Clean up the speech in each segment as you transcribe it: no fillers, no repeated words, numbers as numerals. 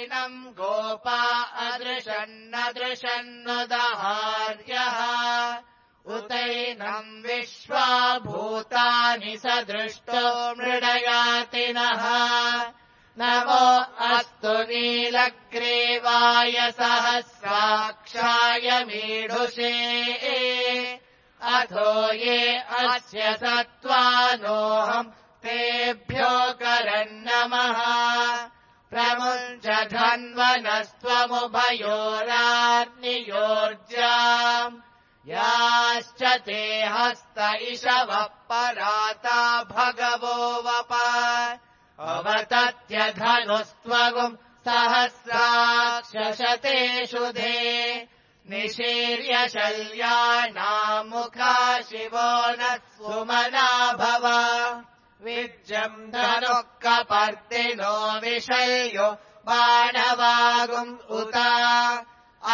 नैनम् गोपा अदृशन्नदृशन्नुदहार्यः उतैनम् विश्वा भूतानि सदृष्टो मृडयातिनः नमो अस्तु नीलग्रीवाय सहस्राक्षाय मीढुषे अथो ये अस्य सत्त्वानोऽहम् तेभ्यो करन्नमः प्रमुञ्च धन्वनस्त्वमुभयोराग्नियोर्जाम् याश्च ते हस्त इषवः पराता भगवो वप अवतत्यधनुस्त्वगुम् सहस्राक्षशतेषु धे निशीर्य शल्यानाम् मुखा शिवो न सुमना भव विज्यम् धनुः कपर्दिनो विशल्यो बाणवागुम् उत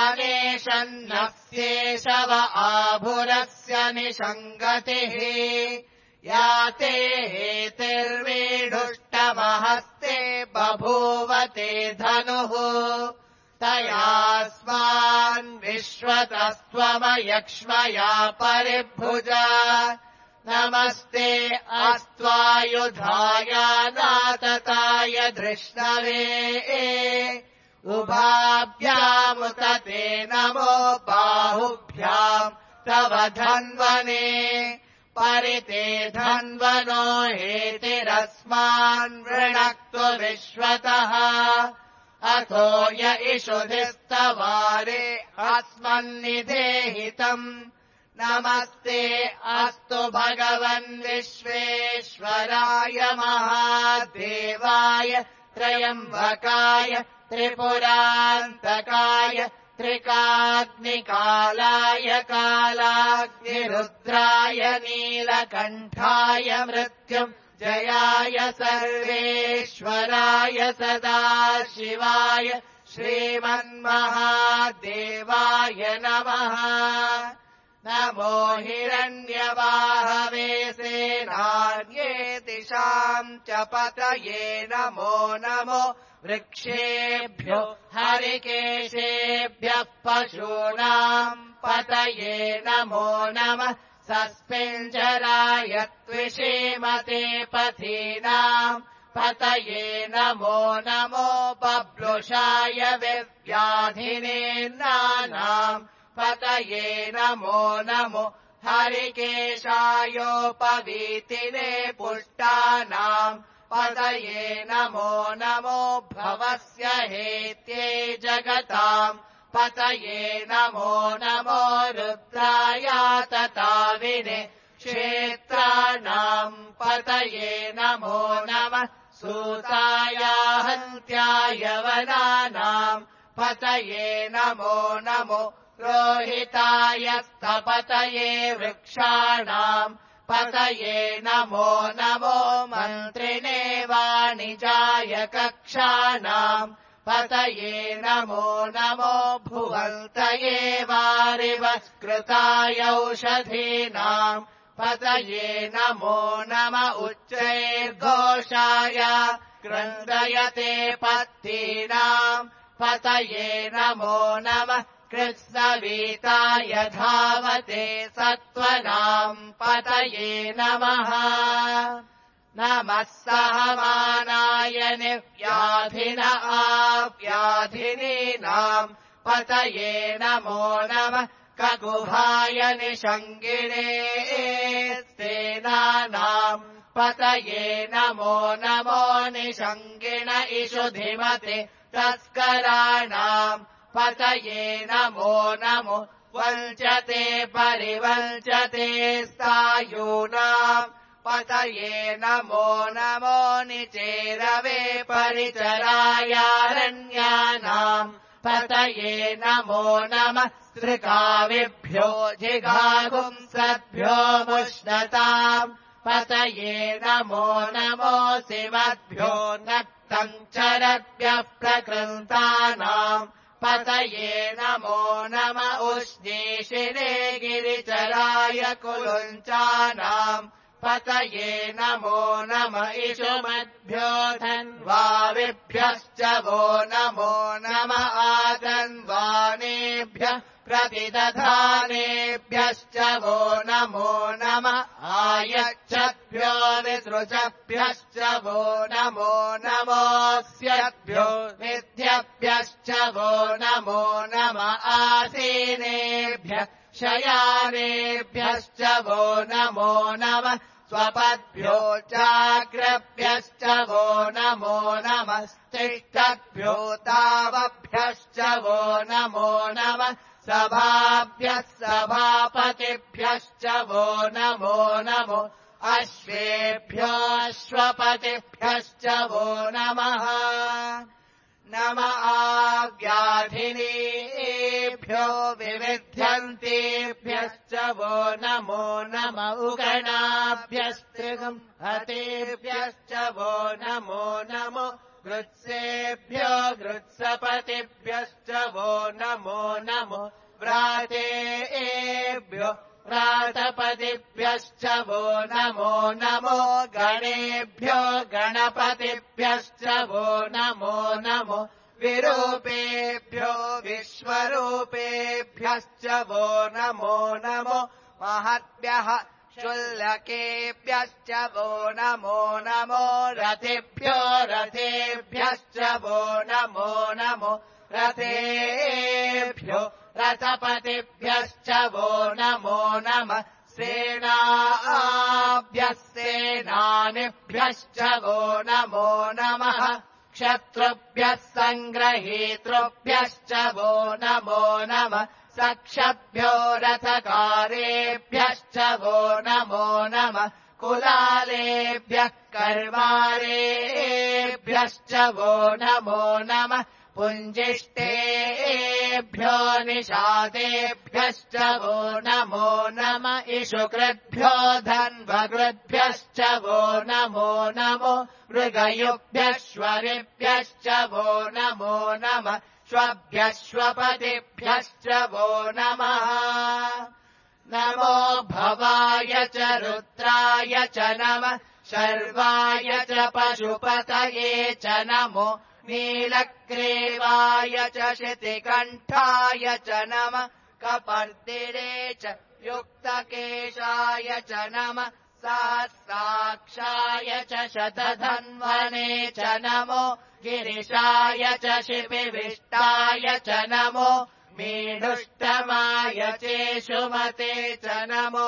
अनेशन्नस्येषव आभुरस्य निषङ्गतिः या ते हेतिर्वीढुष्टमहस्ते बभूवते धनुः तयास्मान् विश्वतस्त्वमयक्ष्मया परिभुजा नमस्ते अस्त्वायुधाय नातताय धृष्णवे उभाभ्यामुत ते नमो बाहुभ्याम् तव धन्वने परिते धन्वनो हेतिरस्मान् वृणक्तु विश्वतः अथो य इषुधिस्तवारे अस्मन्निधेहितम् नमस्ते अस्तु भगवन् विश्वेश्वराय महादेवाय त्रयम्बकाय त्रिपुरान्तकाय त्रिकाग्निकालाय कालाग्निरुद्राय नीलकण्ठाय मृत्युम् जयाय सर्वेश्वराय सदाशिवाय श्रीमन्महादेवाय नमः नमो हिरण्यवाहवे सेनान्ये दिशाम् च पतये नमो नमो वृक्षेभ्यो हरिकेशेभ्यः पशूनाम् पतये नमो नमः सस्पिञ्जराय त्विषीमते पथीनाम् पतये नमो नमो बभ्रुषाय विव्याधिनेन्नानाम् पतये नमो नमो हरिकेशायोपवीतिने पुष्टानाम् पतये नमो नमो भवस्य हेत्ये जगताम् पतये नमो नमो रुद्रायातताविने क्षेत्राणाम् पतये नमो नमः सूताया हन्त्याय वनानाम् पतये नमो नमो रोहिताय स्थपतये वृक्षाणाम् पतये नमो नमो मन्त्रिणे वाणिजाय कक्षाणाम् पतये नमो नमो भुवन्तये वारिवस्कृताय औषधीनाम् पतये नमो नम उच्चैर्घोषाय क्रन्दयते पत्तीनाम् पतये नमो नमः कृत्सवीताय धावते सत्त्वनाम् पतये नमः नमः सहमानाय निव्याधिन आव्याधिनीनाम् पतये नमो नमः ककुभाय निषङ्गिणे सेनानाम् पतये नमो नमो निषङ्गिण इषुधिमते तस्कराणाम् पतये नमो नमो वञ्चते परिवञ्चते स्थायूनाम् पतये नमो नमो निचेरवे परिचरायारण्यानाम् पतये नमो नमः स्त्रिकाविभ्यो जिघागुंसद्भ्यो मुष्णताम् पतये नमो नमोऽसिमद्भ्यो नक्तम् चरद्भ्यः प्रकृन्तानाम् पतये नमो नम उष्णीषिणे गिरिचराय कुलुञ्चानाम् पतये नमो नम इषुमद्भ्यो धन्वाविभ्यश्च वो नमो नम आधन्वानेभ्यः प्रतिदधानेभ्यश्च वो नमो नम आयच्छद्भ्यो विसृजभ्यश्च वो नमो नमोऽस्यभ्यो विद्यभ्यश्च वो नमो नम आसीनेभ्यः शयानेभ्यश्च वो नमो नम स्वपद्भ्यो चाग्रभ्यश्च वो नमो नमस्तिष्ठद्भ्यो तावभ्यश्च वो नमो नम सभाभ्यः सभापतिभ्यश्च वो नमो नमो अश्वेभ्योऽश्वपतिभ्यश्च वो नमः नम आव्याधिनीभ्यो विविध्यन्तेभ्यश्च वो नमो नम उगणाभ्यस्त्रिगम् हतेभ्यश्च वो नमो नमो गृत्सेभ्यो गृत्सपतिभ्यश्च वो नमो नमो व्रातेभ्यो व्रातपतिभ्यश्च वो नमो नमो गणेभ्यो गणपतिभ्यश्च वो नमो नमो विरूपेभ्यो विश्वरूपेभ्यश्च वो नमो नमो महद्भ्यः शुल्लकेभ्यश्च वो नमो नमो रथेभ्यो रथेभ्यश्च वो नमो नमो रथेभ्यो रथपतिभ्यश्च वो नमो नमः सेनाभ्यः सेनानिभ्यश्च वो नमो नमः क्षत्रुभ्यः सङ्ग्रहीतृभ्यश्च वो नमो नमः सक्षभ्यो रथकारेभ्यश्च वो नमो नमः कुलालेभ्यः कर्वारेभ्यश्च वो नमो नमः पुञ्जिष्टेभ्यो निषादेभ्यश्च वो नमो नम इषुकृद्भ्यो धन्वकृद्भ्यश्च वो नमो नमो मृगयुभ्यश्वरिभ्यश्च वो नमो नमः श्वभ्यश्वपतिभ्यश्च वो नमः नमो भवाय च रुद्राय च नमः शर्वाय च पशुपतये च नमो नीलग्रीवाय च शितिकण्ठाय च नमः कपर्दिरे च युक्तकेशाय च नमः सहस्राक्षाय च शतधन्वने च नमो गिरिशाय च शिपिविष्टाय च नमो मीढुष्टमाय चेषुमते च नमो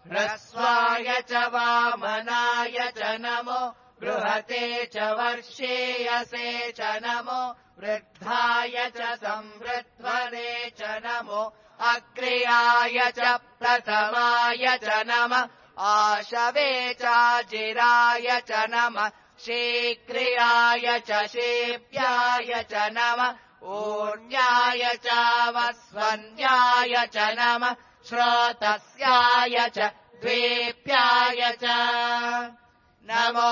ह्रस्वाय च वामनाय च नमो बृहते च वर्षेयसे च नमो वृद्धाय च संवृध्वने च नमो अग्र्याय च प्रथमाय च नमः आशवे चाजिराय च नमः शीघ्रियाय च शेप्याय च नमः ऊर्ण्याय च वस्वन्याय च नमः श्रोतस्याय च द्वेप्याय च नमो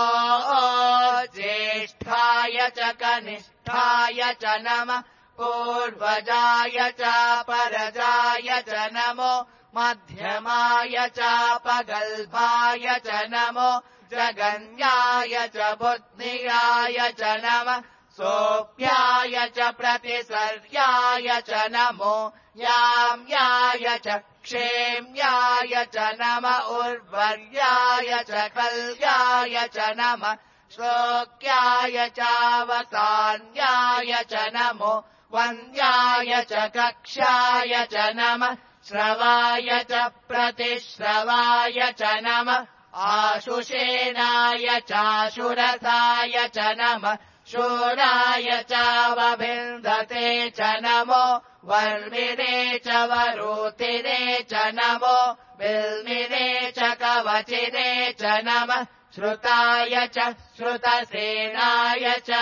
ज्येष्ठाय च कनिष्ठाय च नमः पूर्वजाय च परजाय च नमो मध्यमाय च पगल्भाय च नमो जगन्याय च बुद्धियाय च नमः सोऽप्याय च प्रतिसर्याय च नमो याम्याय च क्षेम्याय च नमः उर्वर्याय च कल्याय च नमः श्लोक्याय चावसान्याय च नमो वन्द्याय च कक्षाय च नमः श्रवाय च प्रतिश्रवाय च नमः आशुषेणाय चाशुरथाय च नमः शूराय चावभिन्दते च नमो वर्मिणे च वरूतिने च नमो बिल्मिने च कवचिने च नमः श्रुताय च श्रुतसेनाय च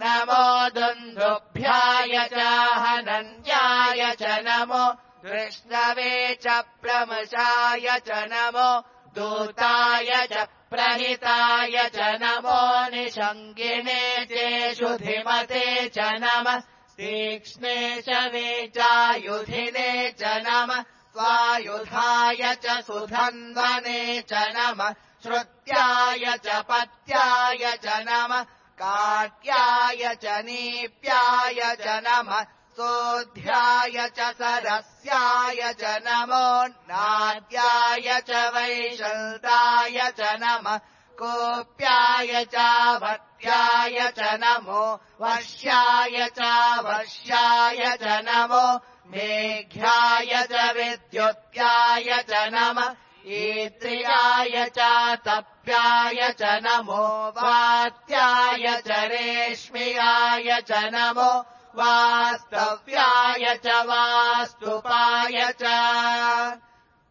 नमो दुन्दुभ्याय च हनन्याय च नमो कृष्णवे च प्रमशाय च नमो दूताय च प्रहिताय च नमो निषङ्गिने चेषुधिमते च नमः तीक्ष्णे शवे चायुधिने च नमः स्वायुधाय च सुधन्वने च नमः श्रुत्याय च पत्याय च नमः काट्याय च नीप्याय च नमः सोऽध्याय च सरस्याय च नमो नाद्याय च वैशन्ताय च नमः कोप्याय चावत्याय च नमो वश्याय चावश्याय च नमो मेघ्याय च विद्युत्याय च नमः ईत्र्याय चातप्याय च नमो वात्याय च रेश्म्याय च नमो वास्तव्याय च वास्तुपाय च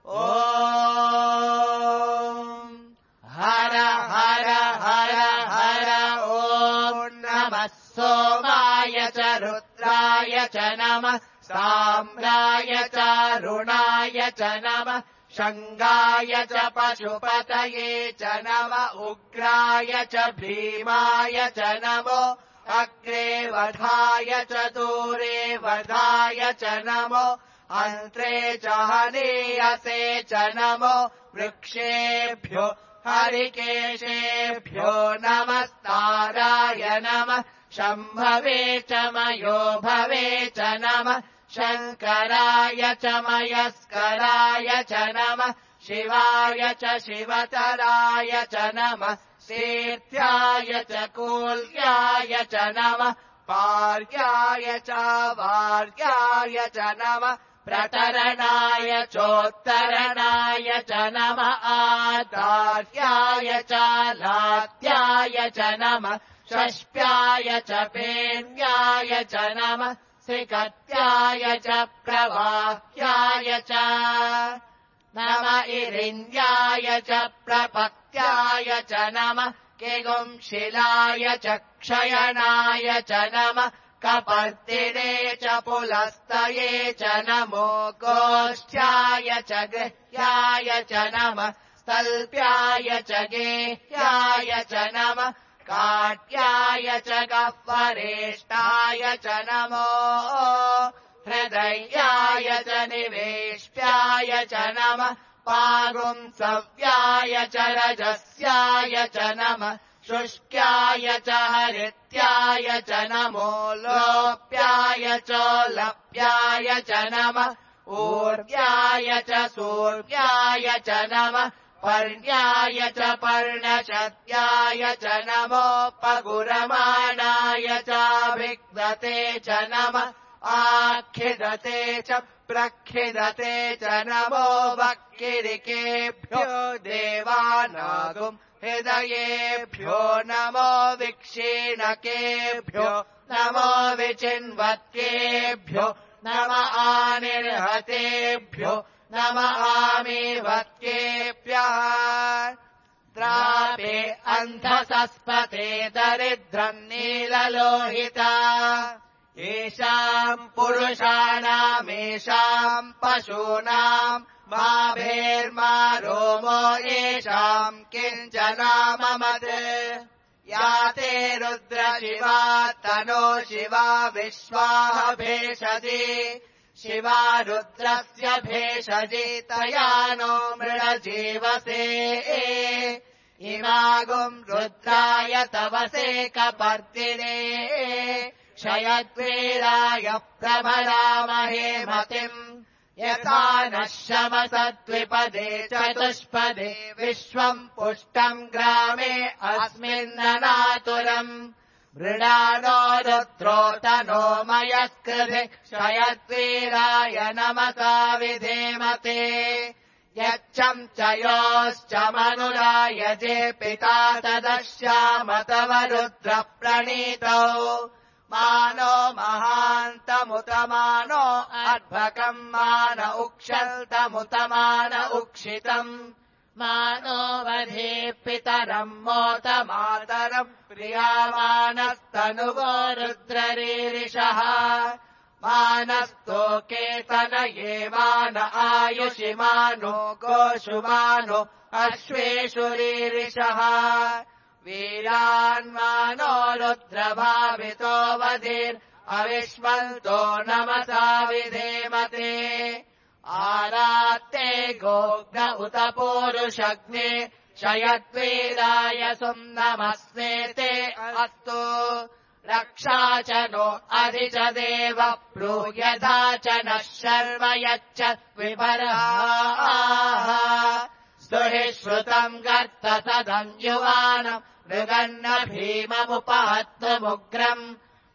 ॐ हर हर हर हर ॐ नमः सोमाय च रुद्राय च नमः साम्राय च रुणाय च नमः शङ्गाय च पशुपतये च नमः उग्राय च भीमाय च नमो अग्रे वधाय च दूरे वधाय च नमो अन्त्रे च हनीयसे च नमो वृक्षेभ्यो हरिकेशेभ्यो नमस्ताराय नमः शम्भवे च मयो भवे च नमः शङ्कराय च मयस्कराय च नमः शिवाय च शिवतराय च नमः सेत्याय च कूल्याय च नमः पार्याय च वार्याय च नमः प्रतरणाय चोत्तरणाय च नमः आदार्याय च लात्याय च नमः षष्प्याय च पेन्याय च नमः सिकत्याय च प्रवाह्याय च नमः इरिन्द्याय च प्रपत्याय च नमः किगुंशिलाय च क्षयणाय च नमः कपर्दिने च पुलस्तये च नमो गोष्ठ्याय च गृह्याय च नमः स्तल्प्याय च गेह्याय च नमः काट्याय च गह्वरेष्ठाय च नमो हृदयाय च निवेश्याय च नमः पागुंसव्याय च रजस्याय च नमः शुष्क्याय च हरित्याय च नमो लोप्याय च लप्याय च नमः ऊर्व्याय च सूर्व्याय च नमः पर्ण्याय च पर्णशत्याय च नमो पगुरमाणाय चाभिग्धते च नमः आखिदते च प्रखिदते च नमो वक्किरिकेभ्यो देवानागुम् हृदयेभ्यो नमो विक्षीणकेभ्यो नमो विचिन्वत्केभ्यो नम आनिर्हतेभ्यो नम आमीवत्केभ्यः द्रापे अन्धसस्पते दरिद्रम् नीललोहिता येषाम् पुरुषाणामेषाम् पशूनाम् मा भेर्मा रोमो येषाम् किञ्चनाममत् या ते रुद्रशिवा तनो शिवा विश्वाः भेषजे शिवा रुद्रस्य भेषजे तया नो मृळजीवसे इमागुम् रुद्राय तवसे कपर्दिने क्षयद्वीराय प्रभरामहे मतिम् यथा नः शमसद्विपदे चतुष्पदे विश्वम् पुष्टम् ग्रामे अस्मिन्ननातुरम् मृडानो रुद्रोतनो मयस्कृधि क्षयद्वीराय नमसा विधेमते यच्छम् च योश्च मनुराय जे पिता तदश्याम तव रुद्र प्रणीतौ मानो महान्तमुतमानो अर्भकम् मान उक्षन्तमुतमान उक्षितम् मानो वधे पितरम् मोत मातरम् प्रियामानस्तनुवो रुद्ररीरिषः मानस्तोकेतनये मान आयुषिमानो गोषुमानो अश्वेषु रीरिषः वीरान्मानो रुद्रभावितो वधीर् अविष्मन्तो नमसा विधेमते आरात्ते गोग्न उत पूरुषग्ने शयद्वीराय सुम्नमस्मेते अस्तु रक्षा च नो अधि च देव ब्रूयधा च नः शर्व यच्च विपरः स्तुहि श्रुतम् गर्त सदम् युवानम् मृगन्न भीममुपहत्तुमुग्रम्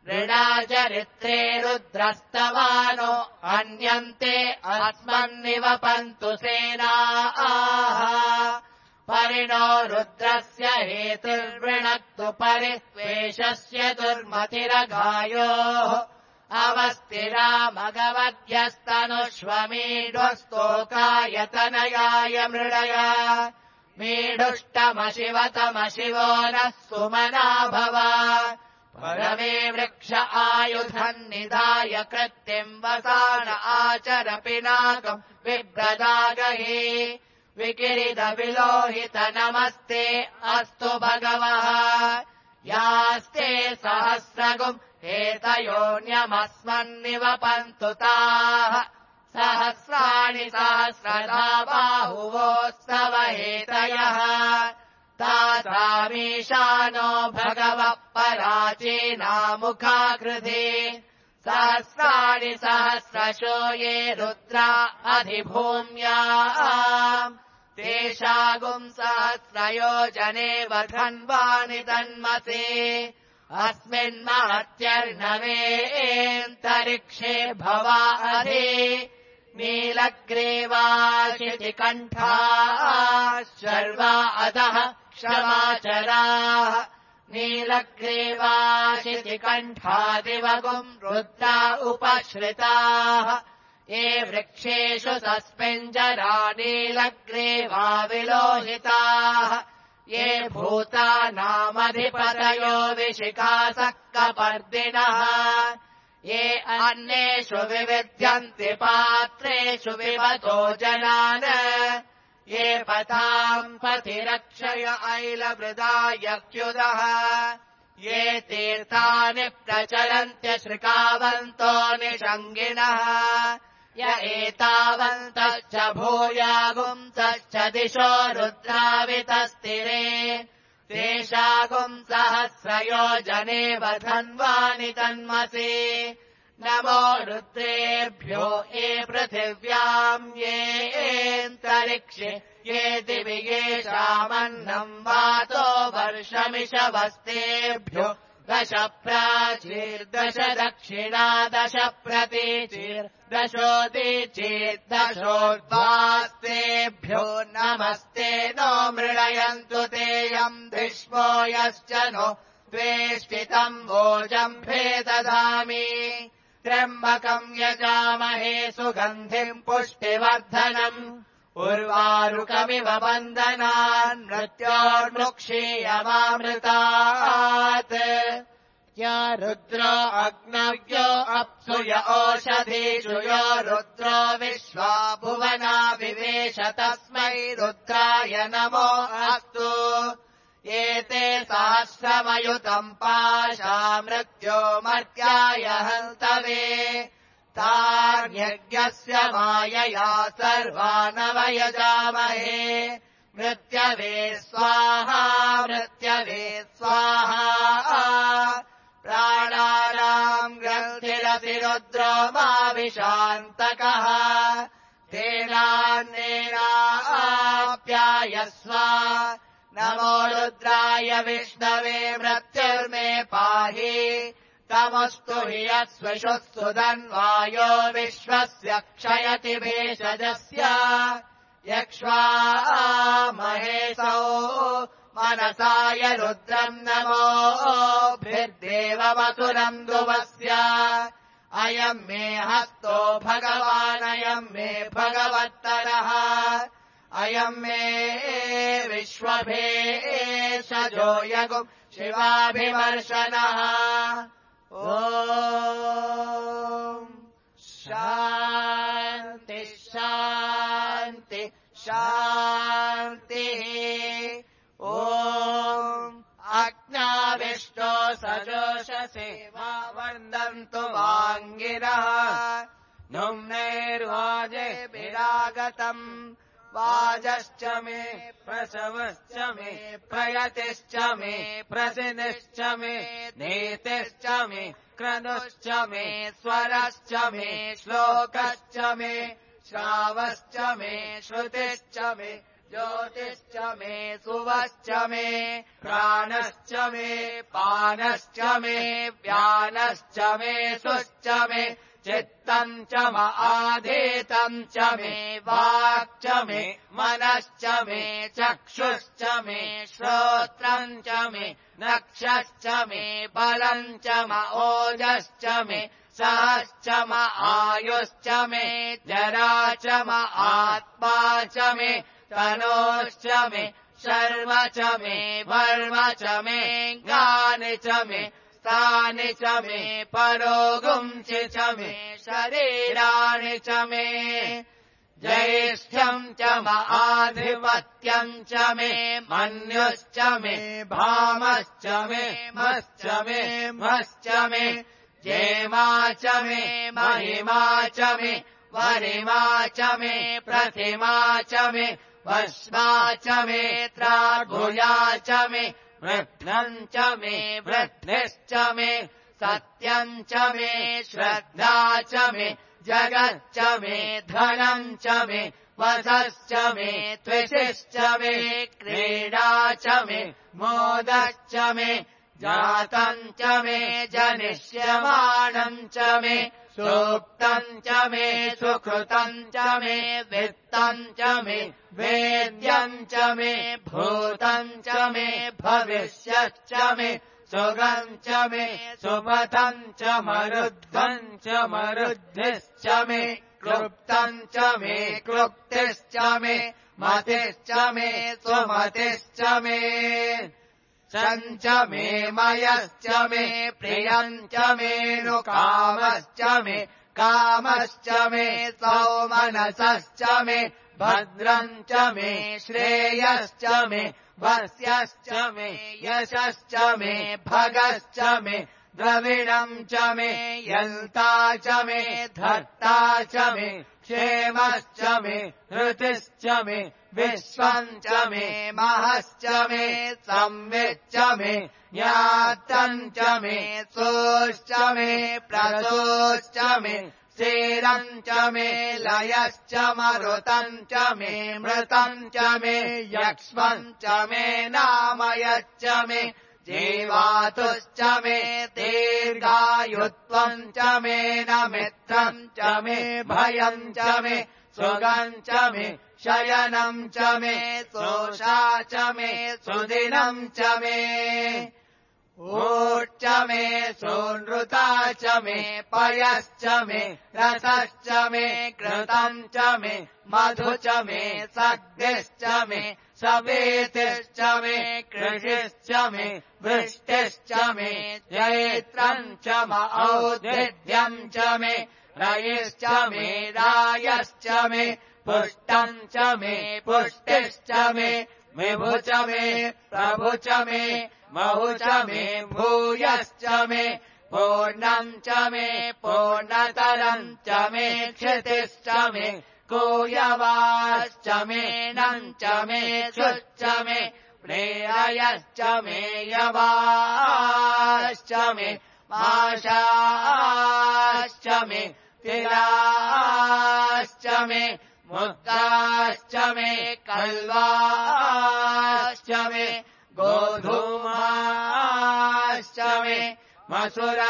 ऋणाचरित्रे रुद्रस्तवानो अन्यन्ते अस्मन्निवपन्तु सेनाः परिणो रुद्रस्य हेतुर्वृणक्तु परित्वेषस्य दुर्मतिरगायोः अवस्तिरामगवद्यस्तनुष्वमीढस्तोकायतनयाय मृडय मीढुष्टमशिवतमशिवो नः सुमना भव परमे वृक्ष आयुधम् निधाय कृत्तिम् वसान आचर पिनाकम् बिभ्रदागहि विकिरिदविलोहित नमस्ते अस्तु भगवः यास्ते सहस्रगुम् एतयोऽन्यमस्मन्निवपन्तु ताः सहस्राणि सहस्रधा बाहुवोस्तव हेतयः तासामीशानो भगवः पराचीनामुखाकृधि सहस्राणि सहस्रशो ये रुद्रा अधिभूम्याम् तेषागुम् सहस्रयोजनेव धन्वानि तन्मसे अस्मिन्महत्यर्णवेऽन्तरिक्षे भवा अधि नीलग्रीवाशितिकण्ठाः शर्वा अधः क्षमाचराः नीलग्रीवाशितिकण्ठादिवगुम् रुद्रा उपश्रिताः ये वृक्षेषु सस्मिञ्जरा नीलग्रीवा विलोहिताः ये भूतानामधिपतयो विशिखासः कपर्दिनः ये अन्येषु विविध्यन्ति पात्रेषु विवतो जनान् ये पताम् पथिरक्षय ऐलवृदायक्युदः ये तीर्थानि प्रचलन्त्यश्रिकावन्तो निषङ्गिणः य एतावन्तश्च भूयागुंसश्च दिशो रुद्रावितस्तिरे तेषागुम् सहस्रयोजनेव धन्वानि तन्मसि नमो रुद्रेभ्यो ये पृथिव्याम् येऽन्तरिक्षे ये दिवि येषामन्नम् वातो वर्षमिषवस्तेभ्यो दश प्राचीर्दश दक्षिणा दश प्रतीचीर्दशोदीचीर्दशोर्ध्वास्तेभ्यो नमस्ते नो मृळयन्तु तेऽयम् धिष्मो यश्च नो द्वेष्टितम् वोजम्भे ददामि त्र्यम्बकम् यजामहे सुगन्धिम् पुष्टिवर्धनम् उर्वारुकमिव बन्धनान् मृत्योर्मुक्षीयमामृतात् या रुद्रो अग्नव्यो अप्सु य ओषधीषु यो रुद्रो विश्वा भुवना विवेश तस्मै रुद्राय नमो अस्तु एते सहस्रमयुतम् पाशा मृत्यो मर्त्याय हन्तवे तार्यज्ञस्य मायया सर्वानवयजामहे मृत्यवे स्वाहा मृत्यवे स्वाहा प्राणानाम् ग्रन्थिरसि रुद्रो माविशान्तकः तेनान्नेनाप्यायस्व नमो रुद्राय विष्णवे मृत्युर्मे पाहि तमस्तु हि यस्विषुस्तु धन्वायो विश्वस्य क्षयति भेषजस्य यक्ष्वा महेशौ मनसाय रुद्रम् नमोभिर्देवमसुरम् दुवस्य अयम् मे हस्तो भगवानयम् मे भगवत्तरः अयम् मे विश्वभेषजो यगुम् शिवाभिमर्शनः ॐ शान्ति शान्ति शान्तिः ॐ अग्नाविष्टो सजोषसे वा वन्दन्तु वाङ्गिरः नुम्नेर्वाजेभिरागतम् वाजश्च मे प्रसवश्च मे प्रयतिश्च मे प्रसिद्धिश्च मे नीतिश्च मे क्रतुश्च मे स्वरश्च मे श्लोकश्च मे श्रावश्च मे श्रुतिश्च मे ज्योतिश्च मे सुवश्च मे प्राणश्च मे पानश्च मे व्यानश्च मे सुश्च मे चित्तम् च आधीतम् च मे वाक् च मे मनश्च मे चक्षुश्च मे श्रोत्रम् च मे नक्षश्च मे बलम् च ओजश्च मे सहश्च आयुश्च मे जरा च आत्मा च मे तनोश्च मे शर्म च मे वर्म च मे ज्ञानि च मे स्थानि च मे परोगुंसि च मे शरीराणि च मे ज्येष्ठ्यम् च आधिपत्यम् च मे मन्युश्च मे भामश्च मे मश्च मे मश्च मे जेमा च मे महिमा च मे वरिमा च मे प्रतिमा च मे भस्मा च मे त्रागुया च मे वृद्धम् च मे वृद्धिश्च मे सत्यम् च मे श्रद्धा च मे जगच्च मे धनम् च मे वसश्च मे त्विषिश्च मे क्रीडा च मे मोदश्च मे जातम् च मे जनिष्यमाणम् च मे सूक्तम् च मे सुकृतम् च मे वित्तम् च मे वेद्यम् च मे भूतम् च मे भविष्यच्च मे सुगम् च मे सुपथम् च मरुद्धम् च मरुद्धिश्च मे क्लुप्तम् च मे क्लुप्तिश्च मे मतिश्च मे सुमतिश्च मे सञ्च मे मयश्च मे प्रियम् च मेऽनुकामश्च मे कामश्च मे सौमनसश्च मे भद्रम् च मे श्रेयश्च मे वस्यश्च मे यशश्च मे भगश्च मे द्रविणम् च मे यन्ता च मे धर्ता च मे क्षेमश्च मे हृतिश्च मे विश्वम् च मे महश्च मे संविच्च मे ज्ञातम् च मे सोश्च मे प्रसोश्च मे स्थिरम् च मे लयश्च मरुतम् च मे मृतम् च मे यक्ष्मम् च मे नामयश्च मे जीवातुश्च मे दीर्घायुत्वम् च मे न मित्रम् च मे भयम् च मे सुगम् च मे शयनम् च मे सोषा च मे सुदिनम् च मे ऊर्च मे सोनृता च मे पयश्च मे रसश्च मे घृतम् च मे मधु च मे सग्धिश्च मे सवेतिश्च मे कृषिश्च मे वृष्टिश्च मे जैत्रम् च औद्भिद्यम् च मे रयिश्च मे रायश्च मे पुष्टम् च मे पुष्टिश्च मे विभु च मे प्रभु च मे महु च मे भूयश्च मे पूर्णम् च मे पूर्णतरम् च मे क्षितिश्च मे कूयवाश्च मे नम् च मे शुश्च मे प्रेयश्च मे यवाश्च मे माशाश्च मे तिलाश्च मे मुक्ताश्च मे कल्वाश्च मे गोधूमाश्च मे मसुराश्च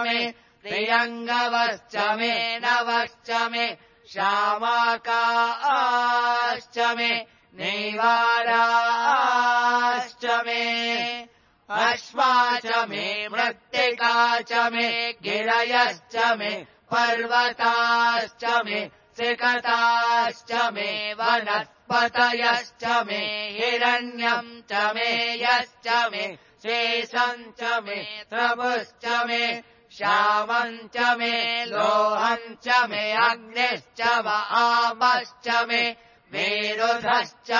मे प्रियङ्गवश्च मे नवश्च मे श्यामाकाश्च मे नैवाराश्च मे अश्वा च मे मृत्तिका च मे गिरयश्च मे पर्वताश्च मे सिकताश्च मे वनस्पतयश्च मे हिरण्यम् च मे यश्च मे शेषम् च मे त्रमुश्च मे श्यामम् च मे लोहम् च मे अग्निश्च आपश्च मे मेरुधश्च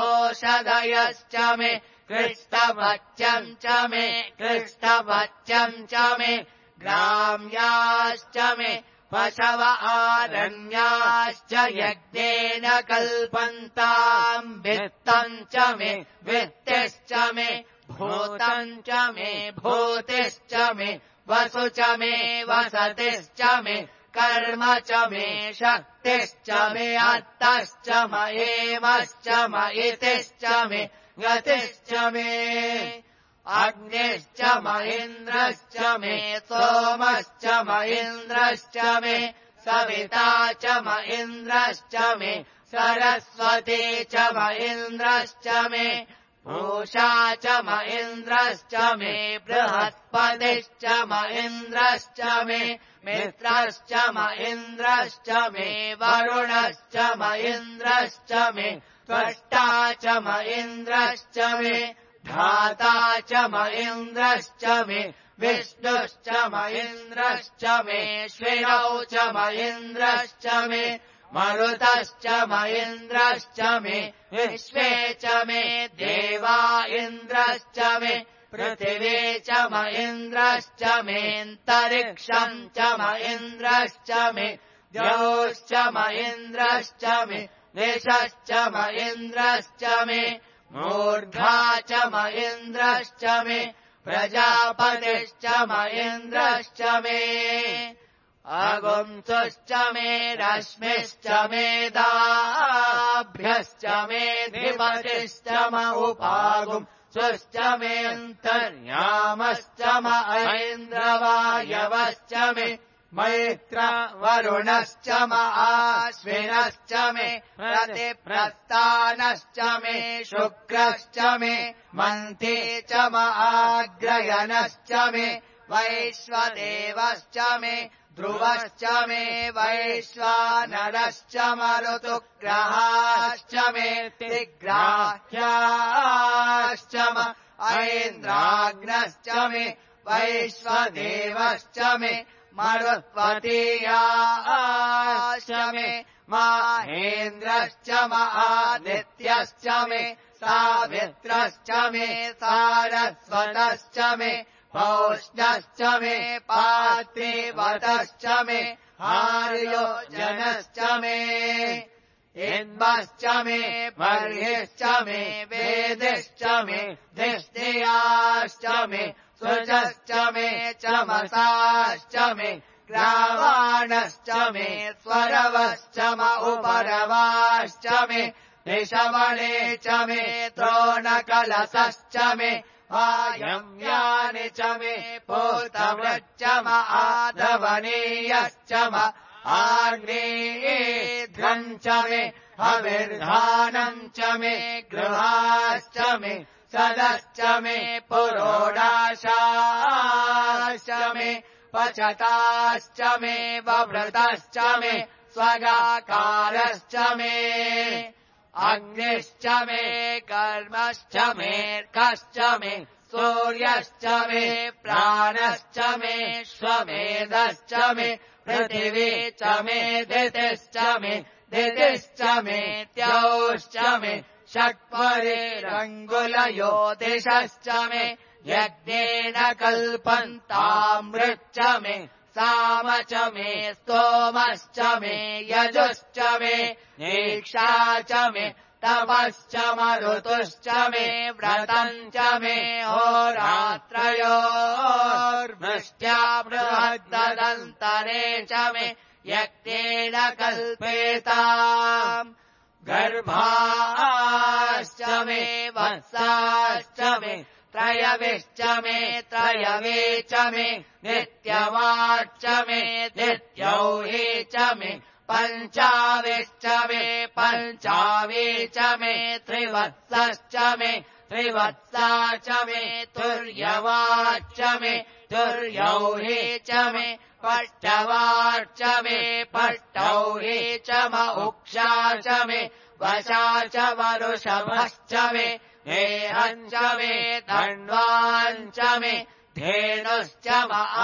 ओषधयश्च मे कृष्णवच्यम् च मे कृष्णवच्यम् च मे ग्राम्याश्च मे पशव आरण्याश्च यज्ञेन कल्पन्ताम् वित्तम् च मे वित्तिश्च मे भूतम् च मे भूतिश्च मे वसु च मे वसतिश्च मे कर्म च मे शक्तिश्च मे अर्थश्च मयेमश्च मयितिश्च मे गतिश्च मे अग्निश्च महीन्द्रश्च मे सोमश्च महीन्द्रश्च मे सविता च महीन्द्रश्च मे सरस्वती च महीन्द्रश्च मे पूषा च महीन्द्रश्च मे बृहस्पतिश्च महीन्द्रश्च मे मित्रश्च महीन्द्रश्च मे वरुणश्च महीन्द्रश्च मे त्वष्टा च महीन्द्रश्च मे धाता च महीन्द्रश्च मे विष्णुश्च महीन्द्रश्च मे श्विनौ च महीन्द्रश्च मे मरुतश्च महीन्द्रश्च मे विश्वे च मे देवा इन्द्रश्च मे पृथिवी च महीन्द्रश्च मेऽन्तरिक्षम् च महीन्द्रश्च मे द्यौश्च महीन्द्रश्च मे दिशश्च महीन्द्रश्च मे मूर्धा च महीन्द्रश्च मे प्रजापतिश्च महीन्द्रश्च मे अगुंसुश्च मे रश्मिश्च मेदाभ्यश्च मे धिपतिश्च उपागुंसुश्च मेऽन्तर्यामश्च ऐन्द्रवायवश्च मे मैत्र वरुणश्च आश्विनश्च मे प्रतिप्रस्थानश्च मे शुक्रश्च मे मन्थे च आग्रयणश्च मे वैश्वदेवश्च मे ध्रुवश्च मे वैश्वानरश्च मरुतुग्रहाश्च मे तिग्राह्याश्च ऐन्द्राग्नश्च मे वैश्वदेवश्च मे मरुत्वतीयाश्च मे माहेन्द्रश्च आदित्यश्च मे सावित्रश्च मे सारस्वतश्च मे पौष्णश्च मे पात्रिवतश्च मे आर्योजनश्च मे इन्द्मश्च मे बर्हिश्च मे वेदिश्च मे धिष्ठियाश्च मे सुजश्च मे चमसाश्च मे ग्रावाणश्च मे स्वरवश्च उपरवाश्च मे निशमने च मे द्रोणकलशश्च मे वायव्यानि च मे पूतवृच्च आधवनीयश्च आग्नेयेध्रम् च मे हविर्धानम् च मे गृहाश्च मे सदश्च मे पुरोडाशाश्च मे पचताश्च मे वभृतश्च मे स्वगाकारश्च मे अग्निश्च मे कर्मश्च मेऽर्कश्च मे सूर्यश्च मे प्राणश्च मे श्वमेधश्च मे पृथिवी च मे दितिश्च मे दितिश्च मे द्यौश्च मे षट्परिरङ्गुलयो दिशश्च मे यज्ञेन कल्पन्तामृच्च मे साम च मे स्तोमश्च मे यजुश्च मे दीक्षा च मे तपश्च मरुतुश्च मे व्रतम् च मे होरात्रयोर्वृष्ट्या बृहद्दन्तरे च मे यज्ञेन कल्पेताम् गर्भाश्च मे वत्साश्च मे त्रयविश्च मे त्रयवे च मे नित्यवाच्च मे नित्यौहि च मे पञ्चाविश्च मे पञ्चावे च मे त्रिवत्सश्च मे त्रिवत्सा च मे तुर्यवाच्च मे तुर्यौहि च मे पट्टवाच्च मे पट्टौहि च उक्षा च मे वशा च वरुषभश्च मे हेहम् च मे धन्वाञ्च मे धेनुश्च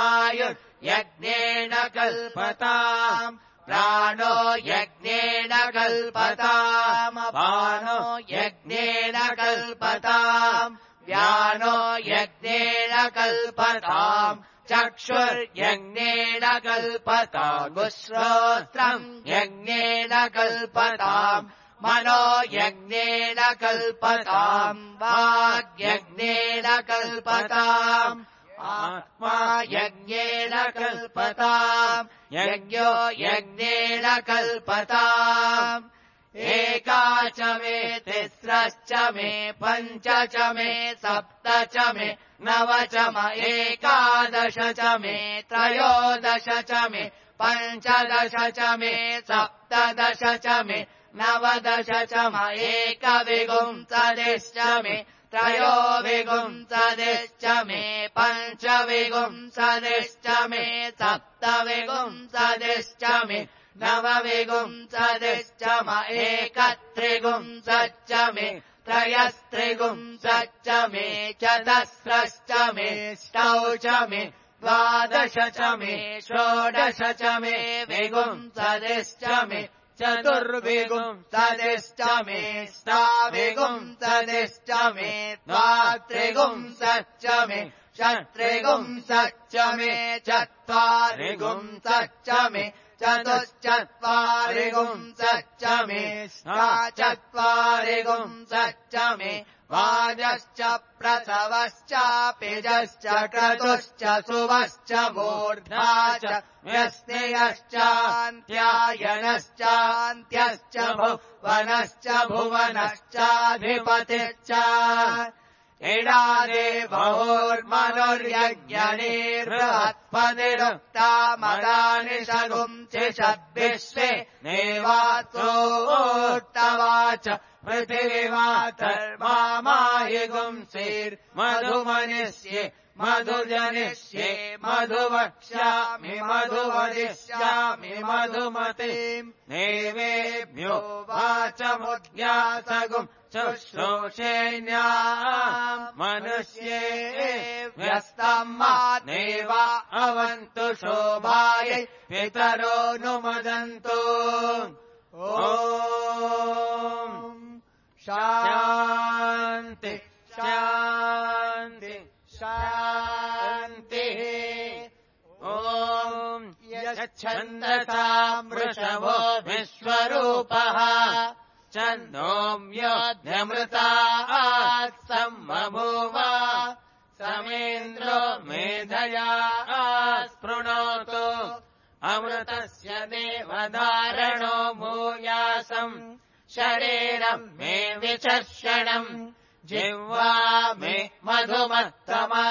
आयुर्यज्ञेन कल्पताम् प्राणो यज्ञेन कल्पताम् अपानो यज्ञेन कल्पताम् व्यानो यज्ञेन कल्पताम् चक्षुर्यज्ञेन कल्पताम् श्रोत्रम् यज्ञेन कल्पताम् मनो यज्ञेन कल्पताम् वाग्यज्ञेन कल्पताम् आत्मा यज्ञेन कल्पताम् यज्ञो यज्ञेन कल्पताम् एका च मे तिस्रश्च मे पञ्च च मे सप्त च मे नव च मे एकादश च मे त्रयोदश च मे पञ्चदश च मे सप्तदश च मे नवदश च मे एकविंशतिश्च मे त्रयोविंशतिश्च मे पञ्चविंशतिश्च मे सप्तविंशतिश्च मे नवविंशतिश्च मे एकत्रिंशच्च मे त्रयस्त्रिंशच्च मे चतस्रश्च मे अष्टौ च मे द्वादश च मे षोडश च मे विंशतिश्च मे चतुर्विंशतिश्च मे अष्टाविंशतिश्च मे द्वात्रिंशच्च मे षट्त्रिंशच्च मे चत्वारिंशच्च मे चतुश्चत्वारिंशच्च मे अष्टाचत्वारिंशच्च मे वाजश्च प्रसवश्चापिजश्च क्रतुश्च सुवश्च मूर्धा च व्यस्त्ययश्चान्त्यायनश्चान्त्यश्च भुवनश्च भुवनश्चाधिपतिश्च इडादे बहुर्मनुर्यज्ञनिर्बृहत्पतिरुक्ता मदानि शगुंसिषद्विश्वे देवात्रोक्तवाच पृथिवीमातर्माहि गुंसीर्मधुमनिष्ये मधुजनिष्ये मधुवक्ष्यामि मधुवदिष्यामि मधुमतीम् देवेभ्यो वाचमुद्यासगुम् शुश्रूषेण्याम् मनुष्ये व्यस्तम् मानेवा अवन्तु शोभायै पितरो नुमदन्तु ॐ शान्ति शान्ति शान्तिः ॐ यच्छन्दसाम् वृषभो विश्वरूपः छन्दोऽम्योऽध्यमृतात् सम्बभूव समेन्द्रो मेधया स्पृणोतु अमृतस्य देवधारणो भूयासम् शरीरम् मे विचर्षणम् जिह्वा मे मधुमत्तमा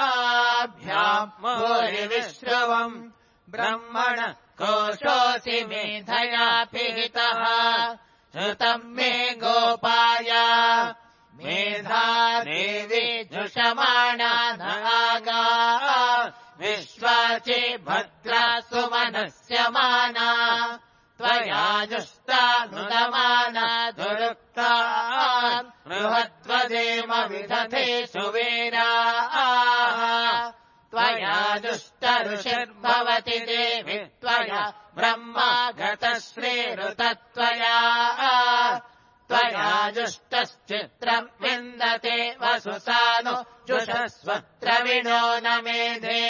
कर्णाभ्याम् भूरिविश्रवम् ब्रह्मण कोशोऽसि मेधया पिहितः श्रुतम् मे गोपाय मेधा देवी जुषमाणा नागा विश्वाचि भद्रा सुमनस्य माना त्वया जुष्टा नुदमाना दुरुक्ता बृहद्वदेम विदधे सुवीरा त्वया दुष्टऋषिर्भवति देवि त्वया ब्रह्मा गतश्रीरुतत्वया त्वया जुष्टश्चित्रम् विन्दते वसुसानु जुषस्वत्रविणो न मेधे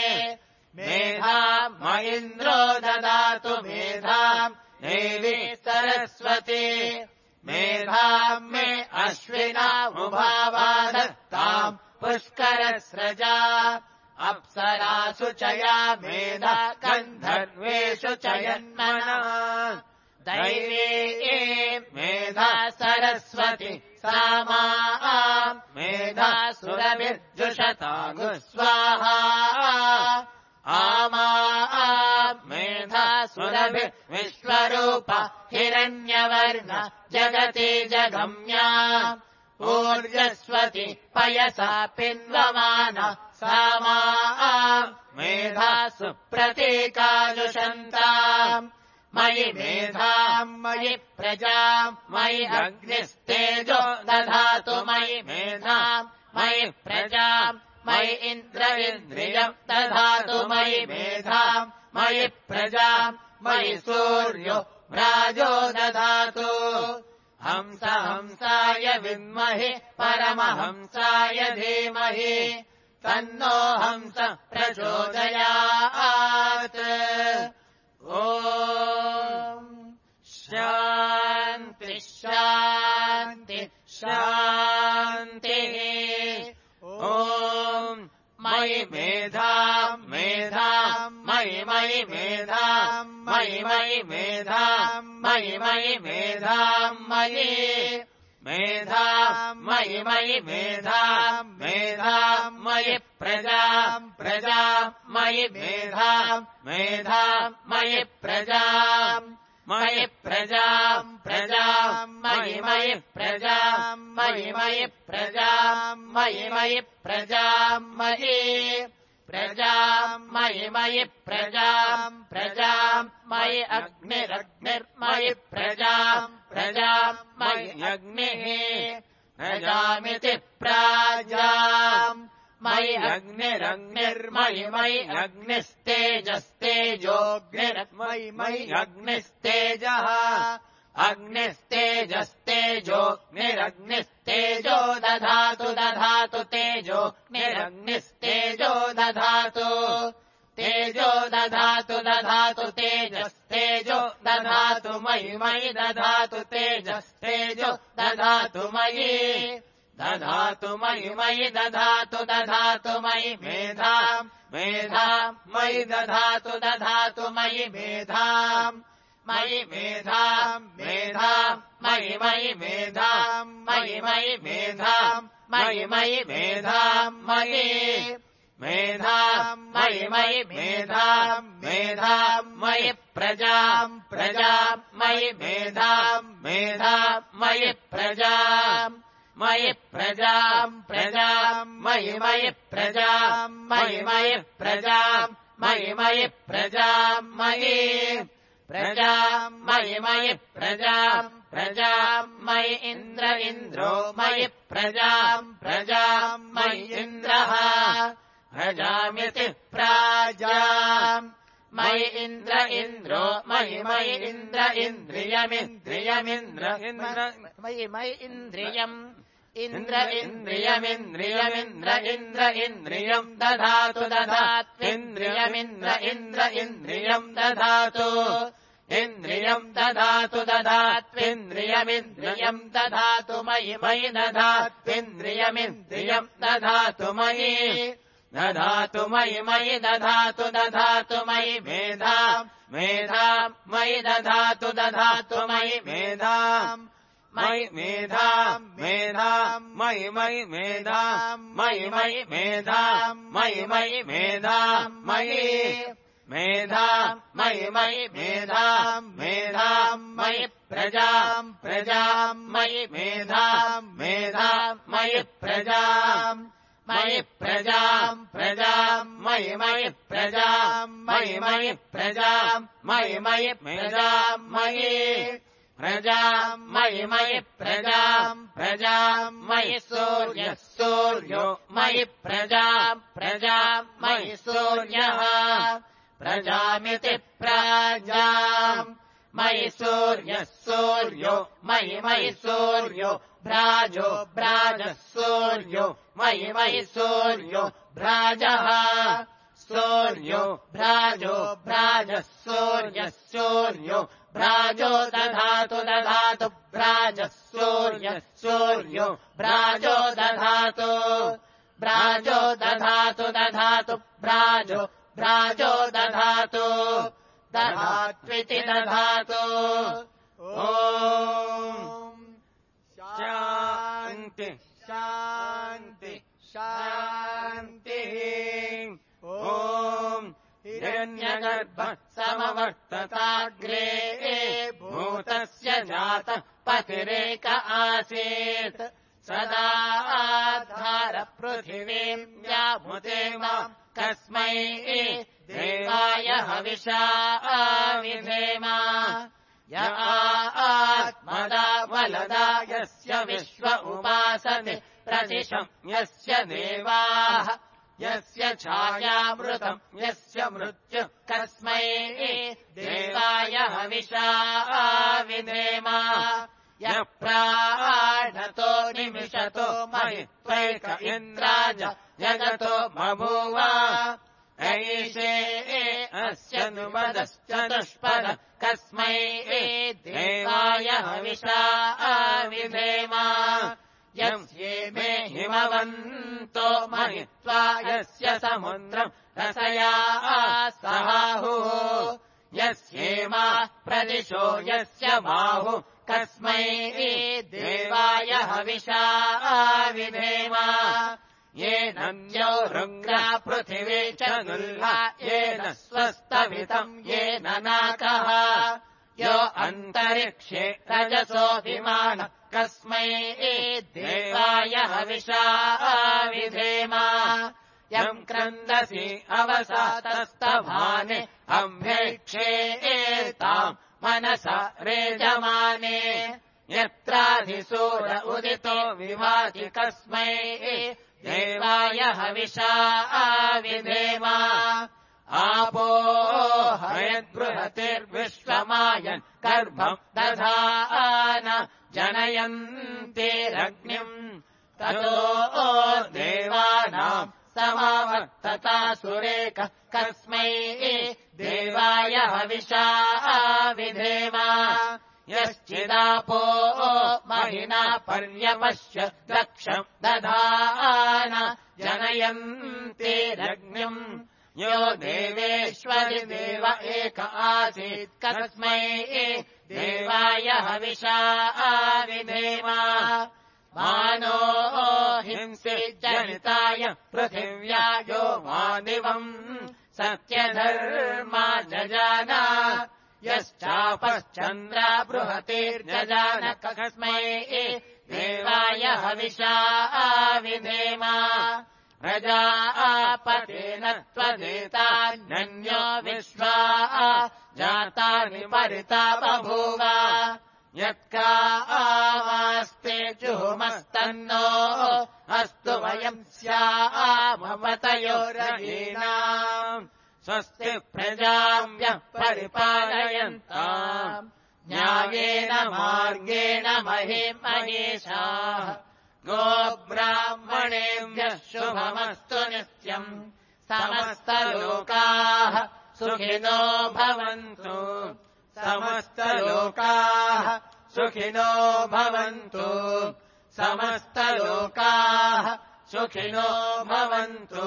मेधाम् म इन्द्रो ददातु मेधाम् देवी सरस्वती मेधाम् मे अश्विना उभावादत्ताम् पुष्करस्रजा अप्सरासु च या मेधा गन्धर्वेषु च यन्मना दैवी मेधा सरस्वती सामा मेधा सुरभिर्जुषतागु स्वाहा आमा मेधा सुरभिर्विश्वरूप हिरण्यवर्ण जगति जगम्या ऊर्जस्वती पयसा पिन्वमान सामा मेधा सुप्रतीकाजुषन्ताम् मयि मेधाम् मयि प्रजाम् मयि अग्निस्तेजो दधातु मयि मेधाम् मयि प्रजाम् मयि इन्द्रियम् दधातु मयि मेधाम् मयि प्रजाम् मयि सूर्यो व्राजो दधातु हंसाय विद्महे परमहंसाय धीमहि तन्नो हंस प्रचोदयात् ॐ शान्ति शान्ति शान्तिः ॐ मयि मेधा मेधा मयि मयि मेधा मयि मयि मेधा मयि मयि मेधा मयि मेधा मयि मयि मेधा मेधा मयि प्रजा प्रजा मयि मेधा मेधा मयि प्रजा मयि प्रजा प्रजा मयि मयि प्रजा मयि मयि प्रजा मयि मयि प्रजा मयि प्रजा मयि मयि प्रजा प्रजा मयि अग्निरग्निर्मयि प्रजा प्रजा मयि अग्निः प्रजामिति प्राजा मयि अग्निरग्निर्मयि मयि अग्निस्तेजस्तेजोऽग्निर्मयि मयि अग्निस्तेजः अग्निस्तेजस्तेजोऽग्निरग्निस्तेजो दधातु दधातु तेजोऽग्निरग्निस्तेजो दधातु तेजो दधातु दधातु तेजस्तेजो दधातु मयि मयि दधातु तेजस्तेजो दधातु मयि दधातु मयि मयि दधातु दधातु मयि मेधा मेधा मयि दधातु दधातु मयि मेधा मयि मेधा मेधा मयि मयि मेधा मयि मयि मेधा मयि मयि मेधा मयि मेधा मयि मयि मेधा मेधा मयि प्रजा प्रजा मयि मेधा मेधा मयि प्रजा मयि प्रजा प्रजा मयि मयि प्रजा मयि मयि प्रजा मयि मयि प्रजा मयि प्रजा मयि मयि प्रजा प्रजा मयि इन्द्र इन्द्रो मयि प्रजा प्रजा मयि इन्द्रः प्रजामिति प्राजा मयि इन्द्र इन्द्रो मयि मयि इन्द्र इन्द्रियमिन्द्रियमिन्द्र मयि मयि इन्द्रियम् इन्द्र इन्द्रियमिन्द्रियमिन्द्र इन्द्र इन्द्रियम् दधातु दधात्विन्द्रियमिन्द्र इन्द्र इन्द्रियम् दधातु इन्द्रियम् दधातु दधात्विन्द्रियमिन्द्रियम् दधातु मयि मयि दधात्विन्द्रियमिन्द्रियम् दधातु मयि दधातु मयि मयि दधातु दधातु मयि मेधा मेधा मयि दधातु दधातु मयि मेधा मयि मेधा मेधा मयि मयि मेधा मयि मयि मेधा मयि मयि मेधा मयि मेधा मयि मयि मेधा मेधा मयि प्रजा प्रजा मयि मेधा मेधा मयि प्रजा मयि प्रजा प्रजा मयि मयि प्रजा मयि मयि प्रजा मयि मयि प्रजा मयि प्रजा मयि मयि प्रजा प्रजा मयि सूर्यः सूर्यो मयि प्रजा प्रजा मयि सूर्यः प्रजामिति प्राजा मयि सूर्यः सूर्यो मयि मयि सूर्यो भ्राजो भ्राजः सूर्यो मयि मयि सूर्यो भ्राजः सूर्यो भ्राजो भ्राजः सूर्यः सूर्यो भ्राजो दधातु दधातु भ्राजः सूर्यः सूर्यो भ्राजो दधातु भ्राजो दधातु दधातु भ्राजो भ्राजो दधातु दधात्विति दधातु ॐ शान्ति शान्ति शान्तिः ॐ हिरण्यगर्भः समवर्तताग्रे भूतस्य जातः पतिरेक आसीत् सदा आधारपृथिवीम् व्याभुते माम् कस्मै देवाय हविषा विधेम य आत्मदा वलदा यस्य विश्व उपासते प्रतिशम् यस्य देवाः यस्य छायामृतम् यस्य मृत्युः कस्मै देवाय हविषा विधेम यः प्राणतो निमिषतो महित्वैक इन्द्राज जगतो बभूव ऐषे अस्य नुमदश्चतुष्पद कस्मै देवाय हविषा विधेम यस्येमे हिमवन्तो महित्वा यस्य समुद्रम् रसया सहाहुः यस्येमा प्रदिशो यस्य बाहु कस्मै देवाय हविषा विधेम येन द्यौ रुग्रा पृथिवी च नुल्हा येन स्वस्तभितम् येन नाकः यो अन्तरिक्षे रजसोऽभिमान कस्मै देवाय हविषा विधेम यम् क्रन्दसि अवसातस्तभाने अभ्यैक्षेताम् मनसा रेजमाने यत्राधिसूर उदितो विभाति कस्मै देवाय हविषा विधेम आपो हयद्बृहतिर्विश्वमायन् गर्भम् दधान जनयन्तिरग्निम् ततो देवानाम् समावर्तता सुरेक कस्मै देवाय हविषा विधेम यश्चिदापो महिना पर्यपश्य दक्षम् दधान जनयन्तिरग्निम् यो देवेश्वरि देव एक आसीत् कस्मै देवाय हविषा विधेम मानो हिंसि जनिताय पृथिव्या यो मादिवम् सत्यधर्मा जजान यश्चापश्चन्द्रा बृहतिर्जजान कस्मै देवाय हविषा विधेम प्रजापतेन त्वदेतान्यो विश्वा जातानि परिता बभूव यत्का आवास्ते जुहुमस्तन्नो अस्तु वयम् स्यामपतयोरयीनाम् स्वस्ति प्रजाभ्यः परिपालयन्ताम् न्यायेन मार्गेण महिमनीषाः गोब्राह्मणेभ्यः शुभमस्तु नित्यम् समस्तलोकाः सुखिनो भवन्तु समस्तलोकाः सुखिनो भवन्तु समस्तलोकाः सुखिनो भवन्तु।